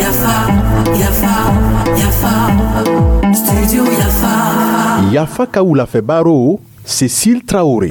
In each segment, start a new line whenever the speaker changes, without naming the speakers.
Yafa, Yafa, Yafa, Studio Yafa.
Yafa ka wulafɛ baro, Cécile Traoré.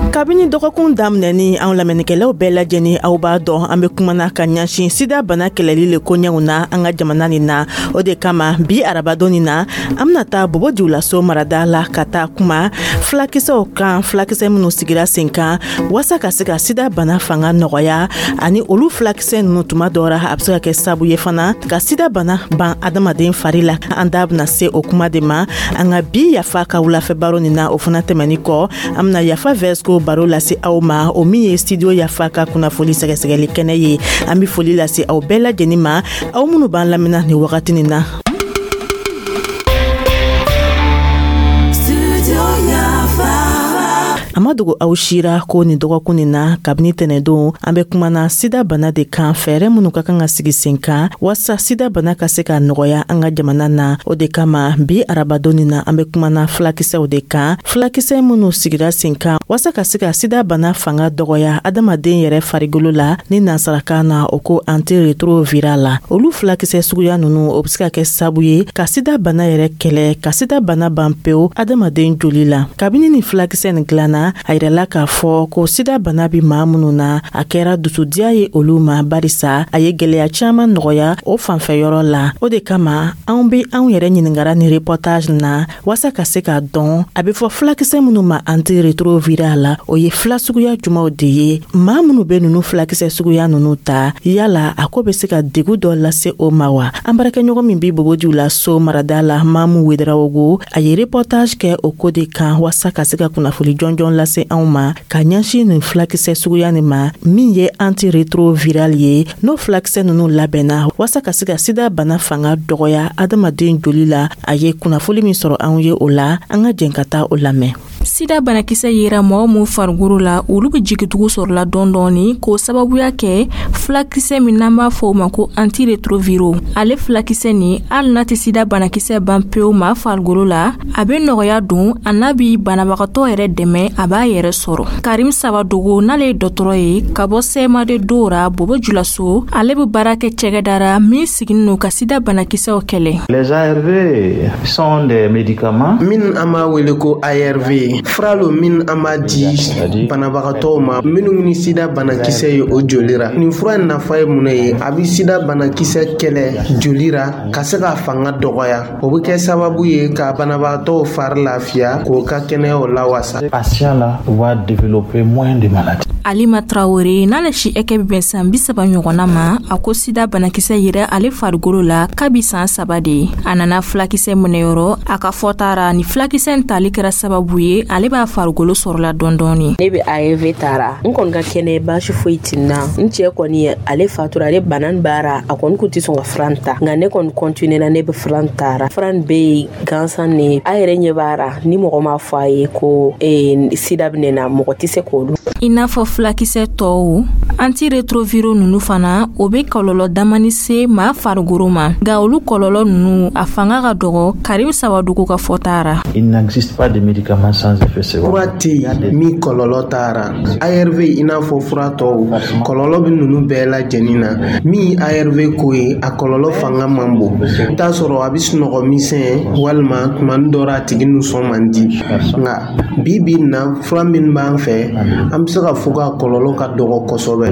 Kabini dɔgɔkun daminɛni, anw lamɛnnikɛlaw bɛɛ lajɛni, aw b'a dɔn an be kumana ka ɲɛsin sida bana kɛlɛli le koɲɛw na an ka jamana nin na. O de kama, bi arabadon nin na, an bena taa Bobo Julaso marada la ka taa kuma fulakisɛw kan, fulakisɛ minw sigira sen kan waasa ka se ka sida bana fanga nɔgɔya, ani olu fulakisɛ nunu, tuma dɔ ra, a be se ka kɛ sabu ye fana ka sida bana ban adamaden fari la. An da bena se o kuma de ma an ka bi Yafa ka wulafɛ baro nin na. O fana tɛmɛni kɔ, an bena Yafa Vɛsco baro lase aw ma, o min ye Studio Yafa ka kunnafoli sɛgɛsɛgɛli kɛnɛ ye. An be foli lase aw bɛɛ lajɛnin ma, aw minnu b'an lamina nin wagati nin na.
Studio Yafa.
A ma dogo aw sira ko nin dɔgɔkun nin na, kabini tɛnɛdon, an bɛ kumana sida bana de kan, fɛɛrɛ minnu ka kan ka sigi sen kan waasa sida bana ka se ka nɔgɔya an ka jamana na. O de kama, bi arabadon nin na, an bɛ kumana fulakisɛw de kan, fulakisɛ minnu sigira sen kan waasa ka se ka sida bana fanga dɔgɔya adamaden yɛrɛ farigolo la, ni nansarakan na o ko antiretroviral la. Olu fulakisɛ suguya nunu, o be se ka kɛ sabu ye ka sida bana yɛrɛ kɛlɛ, ka sida bana ban pewu adamaden joli la. Kabini ni fulakisɛ nin dilanna, a yirala k'a fɔ ko sida bana bi maa minnu na, a kɛra dusudiya ye olu ma, barisa a ye gwɛlɛya caaman nɔgɔya o fanfɛ yɔrɔ la. O de kama, anw be anw yɛrɛ ɲiningara ni reportage na waasa ka se k'a dɔn a be fɔ fulakisɛ minnu ma antiretroviral la, o ye fila suguya jumanw de ye. Maa minnu be nunu fulakisɛ suguya nunu ta, yala a ko be se ka degu dɔ lase o ma wa? An baarakɛɲɔgɔn min bi Bobo Julaso marada la, Mamu Wedarawogo, a ye reportage kɛ o ko de kan waasa ka se ka kunnafoli jɔnjɔn lase anw ma ka ɲɛsin nin fulakisɛ suguya nin ma, min ye antiretroviral ye. N'o fulakisɛ nunu labɛnna waasa ka se ka sida bana fanga dɔgɔya adamaden joli la, a ye kunnafoli min sɔrɔ anw ye o la, an ka jɛn ka taa o lamɛn.
Sida banakisɛ yera mɔgɔ min farikolo la, olu bɛ jigitugu sɔrɔla dɔɔni dɔɔni k'o sababuya kɛ fulakisɛ min n'an b'a fɔ o ma ko antiretroviraux. Ale fulakisɛ nin, hali n'a tɛ sida banakisɛ ban pewu maa farikolo la, a bɛ nɔgɔya don a n'a bi banabagatɔ yɛrɛ dɛmɛ a b'a yɛrɛ sɔrɔ. Karim Sawadogo, n'ale ye dɔgɔtɔrɔ ye ka bɔ CMAD Dora Bobo Julaso, ale bɛ baara kɛ cɛgɛdara min siginin don ka sida banakisɛw kɛlɛ.
Les ARV sont des médicaments.
Min an b'a wele ko ARV, fura lo min an b'a di banabagatɔw ma minnu ni sida banakisɛ ye o joli ra. Nin fura in nafa ye mun ye? A bɛ sida banakisɛ kɛlɛ joli ra ka se ka fanga dɔgɔya. O bɛ kɛ sababu ye ka banabagatɔw fari lafiya, k'o ka kɛnɛyaw lawasa.
Patient là va développer moins de maladies.
Alima Tarawele, n'ale si hakɛ bɛ bɛn san 30 ɲɔgɔnna ma, a ko sida banakisɛ yɛrɛ ale farikolo la kabi san 3 de ye. A nana fulakisɛ minɛyɔrɔ. A ka fɔta ra, ni fulakisɛ in tali kɛra sababu ye ale b'a farikolo sɔrɔla dɔɔni dɔɔni.
Ne bɛ ARV tara, n kɔni ka kɛnɛ, baasi foyi tɛ n na. N cɛ kɔni, ale fatura, ale bana nin baara, a kɔni kun tɛ sɔn ka fura ta, nka ne kɔni continué na, ne bɛ fura tara. Fura nin bɛ yen gansan ne a yɛrɛ ɲɛ b'a ra. Ni mɔgɔ m'a fɔ a ye ko sida bɛ ne na, mɔgɔ tɛ se k'olu.
I n'a fɔ fulakisɛ tɔw, antiretroviraux nunu fana, o bɛ kɔlɔlɔ damani se maa farikolo ma, nka olu kɔlɔlɔ nunu, a fanga ka dɔgɔ, Karim Sawadogo ka fɔta ra.
Il n'existe pas de médicaments sans effet secondaire.
Fura tɛ yen min kɔlɔlɔ t'a ra. ARV, i n'a fɔ fura tɔw, kɔlɔlɔ bɛ ninnu bɛɛ lajɛlen na. Min ye ARV ko ye, a kɔlɔlɔ fanga man bon. I t'a sɔrɔ a bɛ sunɔgɔ misɛn, walima tuma dɔ la a tigi nisɔn man di. Nka bi bi in na, fura min b'an fɛ, an bɛ se ka fɔ k'a kɔlɔlɔ ka dɔgɔ kosɛbɛ.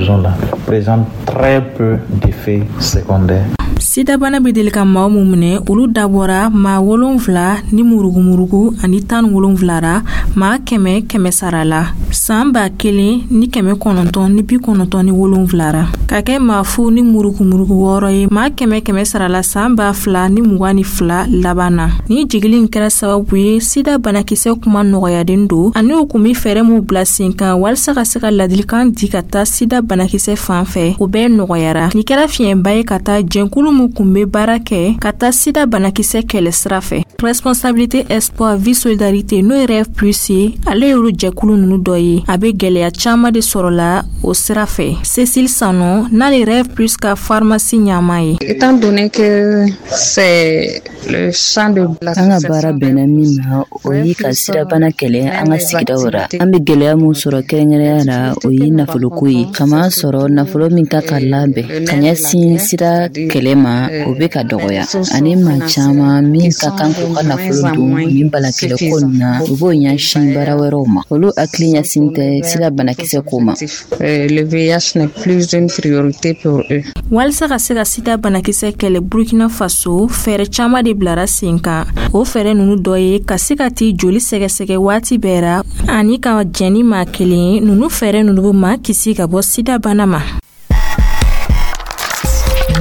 Présente très peu d'effets secondaires.
Sidabana bɛ deli ka maa mun minɛ, olu dabɔra maa wolonfila ni murugumurugu ani 17 ra maa kɛmɛ kɛmɛ sara la san 1997 ra, ka kɛ maa fu ni murugumurugu wɔɔrɔ ye maa kɛmɛ kɛmɛ sara la san 2022 laban na. Ni jigili in kɛra sababu ye sida banakisɛ kuma nɔgɔyaden don, ani u kun be fɛɛrɛ mun bila sen kan walisa walisa ka se ka ladilikan di ka taa sida banakisɛ fan fɛ, o bɛɛ nɔgɔyara. Nin kɛra fiɲɛba ye ka taa jɛnkulu min kun be baara kɛ ka taa sida banakisɛ kɛlɛ sira fɛ. Responsabilité, espoir, vie, solidarité, n'o ye Rêve Plus ye, ale y'olu jɛkulu nunu dɔ ye. A be gwɛlɛya caaman de sɔrɔla o sira fɛ. Cécile Sano, n'ale Rêve Plus ka pharmacie ɲama ye.
Étant donné que c'est le champ de
An ka baara bɛnna min ma, o ye ka sidabana kɛlɛ an ka sigidaw ra. An be gwɛlɛya mun sɔrɔ kɛrɛnkɛrɛnya la, o ye nafoloko ye, kama sɔrɔ nafolo min ka ka labɛn ka ɲɛsin sida kɛlɛ ma, o be ka dɔgɔya, ani maa caaman min ka kan k'u ka nafolo don nin balakɛlɛko nin na, u b'o ɲɛsin baara wɛrɛw ma, olu hakili ɲɛsin tɛ sida banakisɛ ko ma.
Le VIH n'est plus une priorité pour eux.
Walisa ka se ka sida banakisɛ kɛlɛ Burkina Faso, fɛɛrɛ caaman de bilara sen kan. O fɛɛrɛ nunu dɔ ye ka se ka t'i joli sɛgɛsɛgɛ waati bɛɛ ra, ani ka jɛn ni maa kelen ye. Nunu fɛɛrɛ nunu be maa kisi ka bɔ sida bana ma.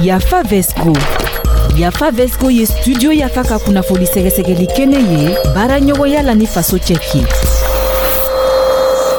Yafa Vesco. Yafa Vesco ye Studio Yafa ka kunnafoni sɛgɛsɛgɛli kɛnɛ ye, baara ɲɔgɔnya la ni Faso Cɛki.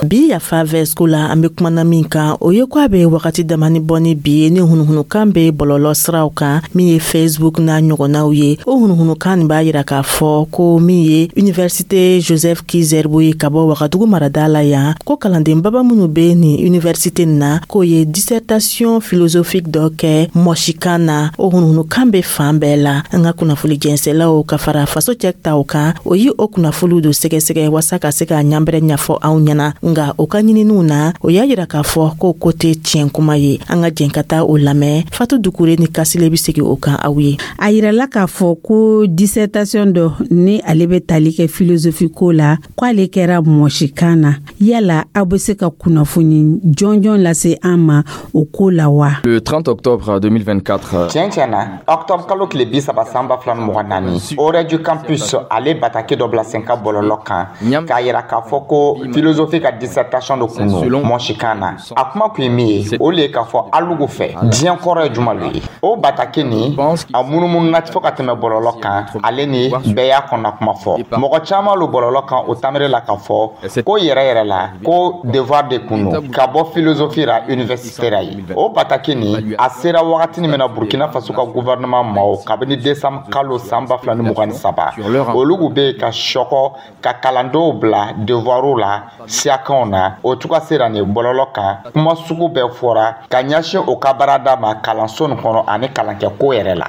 Bi Yafa Vɛsco la, an be kumana min kan, o ye ko a be wagati damani bɔ ni bi ye, ni hunuhunukan be bɔlɔlɔ siraw kan, min ye Facebook n'a ɲɔgɔnnaw ye. O hunuhunukan nin b'a yira k'a fɔ ko min ye Université Joseph Ki-Zerbo ye ka bɔ Wagadugu marada la yan, ko kalanden baba minnu be nin université nin na, k'o ye dissertation philosophique dɔ kɛ mɔsikan na. O hunuhunukan be fan bɛɛ la. An ka kunnafoli jɛnsɛlaw ka fara Faso Cɛ taw kan, o yi o kunnafoliw do sɛgɛsɛgɛ wasa ka se ka ɲanbɛrɛ ɲɛfɔ anw ɲɛna. Nga o ka ɲininiw na, o y'a yira k'a fɔ ko ko tɛ tiɲɛ kuma ye. An ka jɛn ka taa o lamɛn. Fatu Dukure ni Kasile be segi o kan aw ye.
A yirala k'a fɔ ko dissertation dɔ ni ale bɛ tali kɛ philosophie ko la, ko ale kɛra mɔsikan na. Yala aw bɛ se ka kunnafoni jɔnjɔn lase an ma o ko la wa?
Le 30 octobre 2024.
Tiɲɛ tiɲɛ na, octobre kalo tile 30 san 2024, Orɛdu Campus ale bataki dɔ bila sen ka bɔlɔlɔ kan k'a yira k'a fɔ ko philosophie ka dissertation dɔ kun don mɔsikan na. A kuma kun ye min ye, o le ye k'a fɔ alugu fɛ, diɲɛ kɔrɔ ye juma lo ye. O bataki nin, a munumununa fo ka tɛmɛ bɔlɔlɔ kan, ale ni bɛɛ y'a kɔnɔna kuma fɔ. Mɔgɔ caman lo bɔlɔlɔ kan o tamere la k'a fɔ ko yɛrɛ yɛrɛ la, ko devoir de kun don ka bɔ philosophie ra université ra ye. O bataki nin, a sera wagatini min na Burkina Faso ka gouvernement maaw, kabini décembre kalo san 2023, olu kun bɛ yen ka sɔkɔ ka kalandenw bila devoirw la siyakanw na. O cogoya sera nin bɔlɔlɔ kan, kuma sugu bɛɛ fɔra ka ɲɛsin o ka baarada ma kalanso nin kɔnɔ ani kalankɛko yɛrɛ la.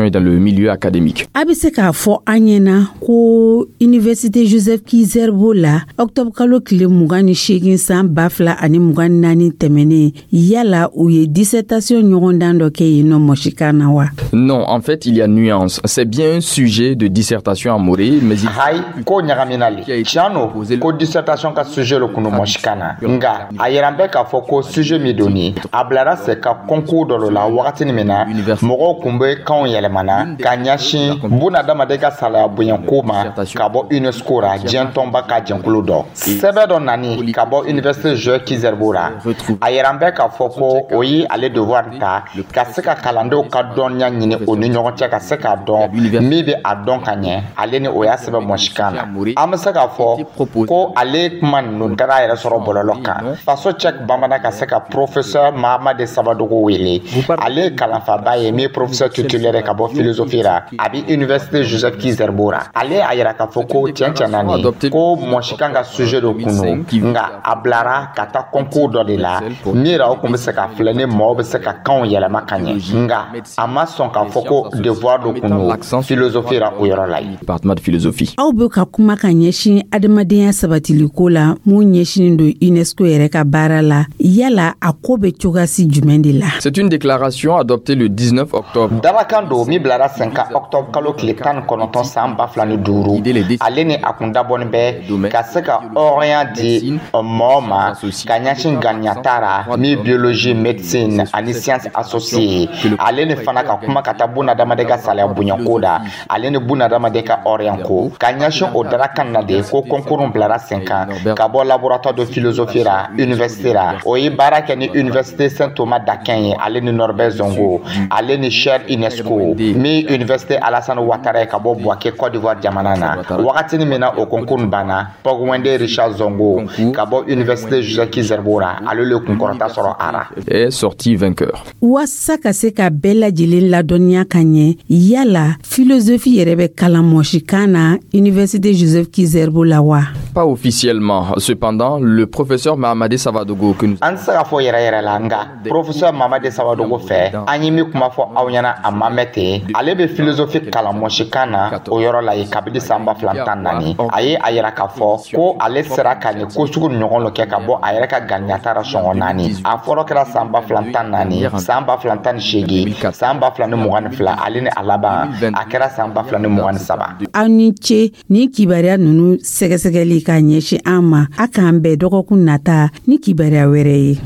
Et dans le milieu académique.
A bɛ se k'a fɔ an ɲɛna ko Université Joseph Ki-Zerbo la, octobre kalo tile 28 san 2024 tɛmɛnen, yala u ye dissertation ɲɔgɔndan dɔ kɛ yen nɔ mɔsikan na wa?
Non, en fait, il y a nuance. C'est bien un sujet de dissertation en moré, mais il
Hayi, ko ɲagamina le. Tiɲɛ no ko dissertation ka sujet lo kun don mɔsikan na, nga a yɛrɛ bɛ k'a fɔ ko sujet min don nin, a bilara se ka concours dɔ la wagatini min na mɔgɔw kun bɛ kanw yɛlɛmana ka ɲɛsin bunadamaden ka salaya bonyako ma ka bɔ UNESCO ra, diɲɛ tɔnba ka jɛnkulu dɔ. Sɛbɛ dɔ nani ka bɔ Université Joseph Ki-Zerbo ra, a yɛrɛ bɛ k'a fɔ ko o ye ale devoir ta ka se ka kalandenw ka dɔnniya ɲini o ni ɲɔgɔn cɛ, ka se k'a dɔn min bɛ a dɔn ka ɲɛ. Ale ni o y'a sɛbɛn mɔsikan na. An bɛ se k'a fɔ ko ale kuma ninnu taara a yɛrɛ sɔrɔ bɔlɔlɔ kan. Faso Cɛk Bamanan ka se ka professeur Mahamadi Sabadogo wele. Ale ye kalanfaba ye min ye professeur titulaire ka bɔ philosophie ra, a bɛ Université Joseph Ki-Zerbo ra. Ale a yira k'a fɔ ko tiɲɛ tiɲɛ na nin ko mɔsikan ka sujet dɔ kun don, nka a bilara ka taa concours dɔ de la min yɛrɛ o kun bɛ se ka filɛ ni maaw bɛ se ka kanw yɛlɛma ka ɲɛ, nka a ma sɔn k'a fɔ ko devoir dɔ kun don philosophie ra o yɔrɔ la yen.
Département de philosophie.
Aw bɛ ka kuma ka ɲɛsin adamadenya sabatiliko la, mun ɲɛsinin don UNESCO yɛrɛ ka baara la. Yala a ko bɛ cogoyasi jumɛn de la?
C'est une déclaration adoptée le 19 octobre.
Darakan don min bilara sen kan octobre kalo tile 19 san 2005. Ale ni a kun dabɔnin bɛ ka se ka hɔrɔnya di mɔgɔ ma ka ɲɛsin ŋaniyata ra min biologie, médecine ani science associée. Ale ni fana ka kuma ka taa bunadamaden ka salaya bonyako da, ale ni bunadamaden ka hɔrɔnya ko, ka ɲɛsin o darakan na de ko concours bilara sen kan ka bɔ laboratoire. Laboratoire de philosophie la université la. O ye baara kɛ ni Université Saint Thomas d'Aquin ye, ale ni Norbert Zongo, ale ni chaire UNESCO min Université Alassane Ouattara ye ka bɔ Bouaké, Côte d'Ivoire jamana na. Wagatini min na o concours banna, Pogwende Richard Zongo ka bɔ Université Joseph Ki-Zerbo la, ale le kunkɔrɔta sɔrɔ a ra.
Est sorti vainqueur.
Waasa ka se ka bɛɛ lajɛlen ladɔnniya ka ɲɛ, yala philosophie yɛrɛ bɛ kalan mɔsikan na Université Joseph Ki-Zerbo la wa?
Pas officiellement. Cependant, le professeur Mahamadé Savadogo que nous
An tɛ se ka fɔ yɛrɛ yɛrɛ la, nka professeur Mamadi Sawadogo fɛ, an ye min kuma fɔ aw ɲɛna, a ma mɛn ten. Ale bɛ philosophie kalan mɔsikan na o yɔrɔ la yen kabini san 2014. A ye a yira k'a fɔ ko ale sera ka nin ko sugu ɲɔgɔn dɔ kɛ ka bɔ a yɛrɛ ka ganiyata ra sɔngɔ naani. A fɔlɔ kɛra san 2014, san 2018, san 2022, ale ni a laban a kɛra san 2023.
Aw ni ce ni kibaruya nunu sɛgɛsɛgɛli ka ɲɛsin an ma. A k'an bɛn dɔgɔkun nata ni kibaruya wɛrɛ ye.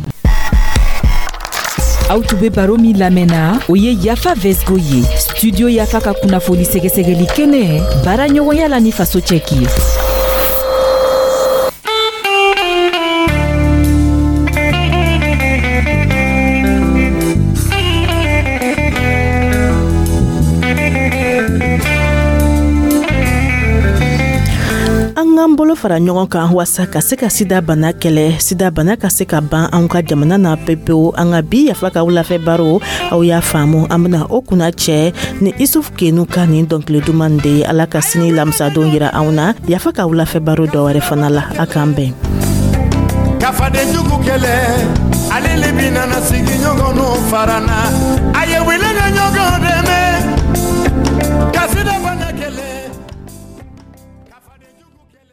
Aw tun be baro min lamɛnna, o ye Yafa Vesgo ye, Studio Yafa ka kunnafoni sɛgɛsɛgɛli kɛnɛ, baara ɲɔgɔnya la ni faso cɛki ye.
An k'an bolo fara ɲɔgɔn kan waasa ka se ka sida bana kɛlɛ, sida bana ka se ka ban an ka jamana na pepewu. An ka bi Yafa ka wulafɛ baro, aw y'a faamu, an bena o kunna cɛ ni Isuf Kenu ka nin dɔnkili duman de ye. Ala ka sini lamisadon yira anw na. Yafa ka wulafɛ baro dɔ wɛrɛ fana la, a k'an bɛn.
Kafaden jugu kɛlɛ, ale le bi nana sigi ɲɔgɔn farana.